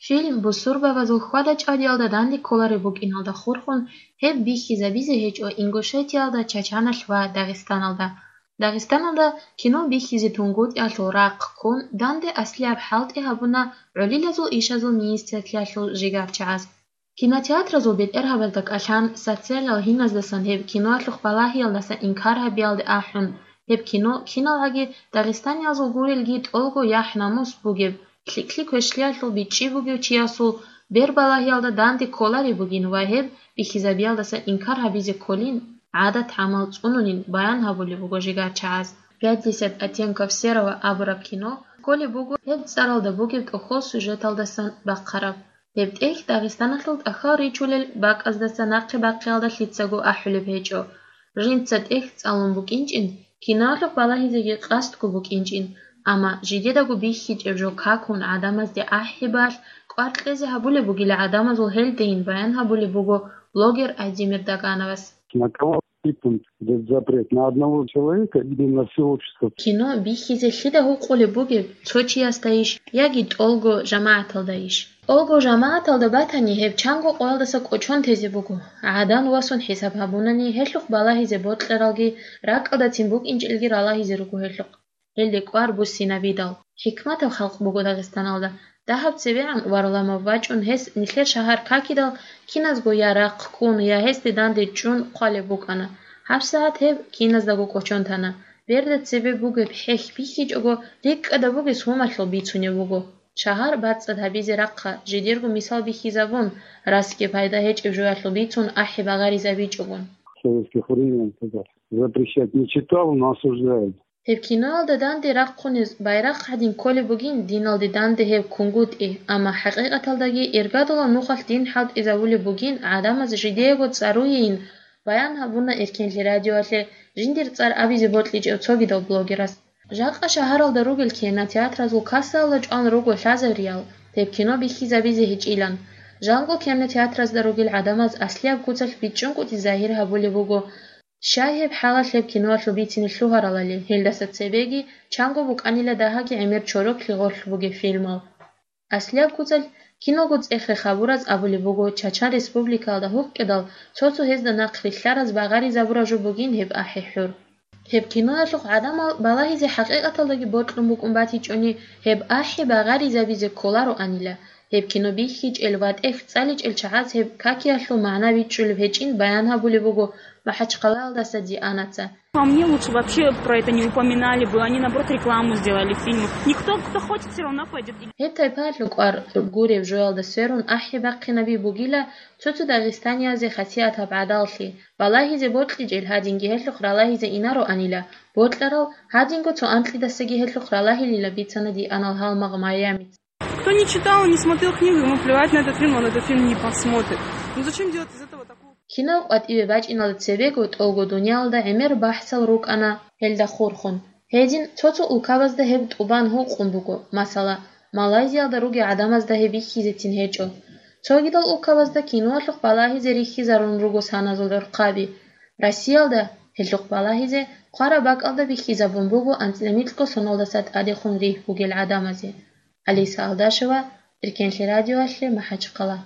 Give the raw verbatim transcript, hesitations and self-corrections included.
Фильм бусурбабазул хьвада-чӀвадиялда данде кколареб букӀиналда хурхун, гьеб бихьизабизе гьечӀо Ингушетиялда, Чачаналъ ва Дагъистаналда. Дагъистаналда кино бихьизе тунгутӀиялъул рахъ ккун, данде аслияб хӀалтӀи гьабуна гӀолилазул ишазул министрлъиялъул жигарчагӀаз. Кинотеатразул бетӀергьабазда кӀалъан, социалал гьиназдасан гьеб киноялъухъ балагьиялдаса инкар гьабиялде ахӀун, гьеб кино киналгӀаги дагъистаниязул гурелги тӀолго яхӀ-намус бугеб, лъикӀлъи-квешлъиялъул бичӀчӀи бугев чиясул бер балагьиялда данде кколареб бугин ва гьеб бихьизабиялдаса инкар гьабизе кколин, гӀадат-гӀамал цӀунунин баян гьабулеб буго жигарчагӀаз. «Пятьдесят оттенков серого» абураб кино кколеб буго гьеб цӀаралда бугеб тӀохьол сюжеталдасан бахъараб. Гьеб тӀехь Дагъистаналъул тӀахьал ричулел бакӀаздаса нахъе бахъиялда лъицаго ахӀулеб гьечӀо. Жинца тӀехь цӀалун букӀинчӀин, киноялъухъ балагьизеги къасдго букӀинчӀин, амма жидедаго бихьичӀеб жо какун гӀадамазде ахӀибалъ кӀвар кьезе гьабулеб бугила гӀадамазул гьелдейин баян гьабулеб буго блогер Айдемир Дагановас. На кого сыпем этот запрет? На одного человека или на всё общество? Кино бихьизе лъида гьукъулеб бугеб, цо чиясдайищ яги тӀолго жамагӀаталдайищ? ТӀолго жамагӀаталда батани, гьеб чанго къоялдаса кӀочон тезе буго, гӀадан васун хӀисаб гьабунани, гьелъухъ балагьизе бокьаралги, ракӀалдацин букӀинчӀелги ралагьизе руго гьелъухъ. Гьелде кӀвар буссинабидал. ХӀикматаб халкъ буго Дагъистаналда. Дагьаб цебегӀан варламав вачӀун гьес нилъер шагьар какидал, киназго я рахъ ккун, я гьесде данде чӀун хъвалеб букӀана. ГьабсагӀат гьеб киназдаго кӀочон тана. Берда цебе бугеб хӀехь бихьичӀого, рикӀкӀада бугес гьумалъул бицунеб буго. Шагьар бацӀцӀад гьабизе рахъа, жидерго мисал бихьизабун, расги пайда гьечӀеб жоялъул бицун ахӀи багъаризабичӀогун. В советских временах запрещать не читал, но осуждаю. Гьеб киноялда данде рахъунез байрахъ гьадин кколеб бугин диналде данде гьеб кунгутӀи, амма хӀакъикъаталдаги иргадулаб нухалъ дин хӀалтӀизабулеб бугин гӀадамаз жидеего цӀаруейин, баян гьабуна Эркенлъи радиоялъе жиндир цӀар абизе бокьичӀев цогидал блогерас. Жакъа шагьаралда ругел кинотеатразул кассаялда чӀван руго лъазариял, гьеб кино бихьизабизе гьечӀилан. Жанго кинотеатразда ругел гӀадамаз аслияб куцалъ бичӀчӀункӀутӀи загьир гьабулеб буго. Щай гьеб хӀалалъ гьеб киноялъул бицине лъугьаралали, гьелдаса цебеги чанго букӀанила дагьаги гӀемер чороклъи гъорлъ бугеб фильмал. Аслияб куцалъ киного цӀехе хабураз абулеб буго, Чачан Республикаялда гьукъидал цо-цо гьезда нахърилълъараз багъаризабураб жо бугин гьеб ахӀи-хӀур. Гьеб киноялъухъ гӀадамал балагьизе хӀакъикъаталдаги бокьун букӀун батичӀони, гьеб ахӀи багъаризабизе кколароанила. Гьеб кино бихьичӀел ва тӀехь цӀаличӀел чагӀаз гьеб какиялъул магӀна бичӀчӀулеб гьечӀин баян гьабулеб буго МахӀачхъалаялдаса Дианаца. А мне лучше вообще про это не упоминали бы, они, наоборот, рекламу сделали фильму. Никто, кто хочет, всё равно пойдёт. Гьеб тайпаялъул кӀвар гуреб жоялда сверун ахӀи бахъинаби бугила цо-цо дагъистаниязе хасиятаб гӀадаллъи, балагьизе бокьичӀел гьадинги гьелъухъ ралагьизе инароанила, бокьарал гьадинго цо анкьидасаги гьелъухъ ралагьилила бицана Дианал гьалмагъ Майамица. Кто не читал, не смотрел книгу, ему плевать на этот фильм, он этот фильм не посмотрит. Ну зачем делать из этого такую... Кинав къватӀиве бачӀиналда цебего тӀолго дуниялда гӀемер бахӀсал рукӀана гьелда хурхун. Гьедин, цо-цо улкабазда гьеб тӀубан гьукъун буго, масала, Малайзиялда ругел гӀадамазда гьеб бихьизецин гьечӀо. Цогидал улкабазда киноялъухъ балагьизе рихьизарун руго саназул дурхъаби. Россиялда гьелъухъ балагьизе хъвараб бакӀалда бихьизабун буго анцӀила микьго соналдаса тӀадехун ригь бугел гӀадамазе. Алиса Алдашева, Эркенлъи радиоялъе, МахӀачхъала.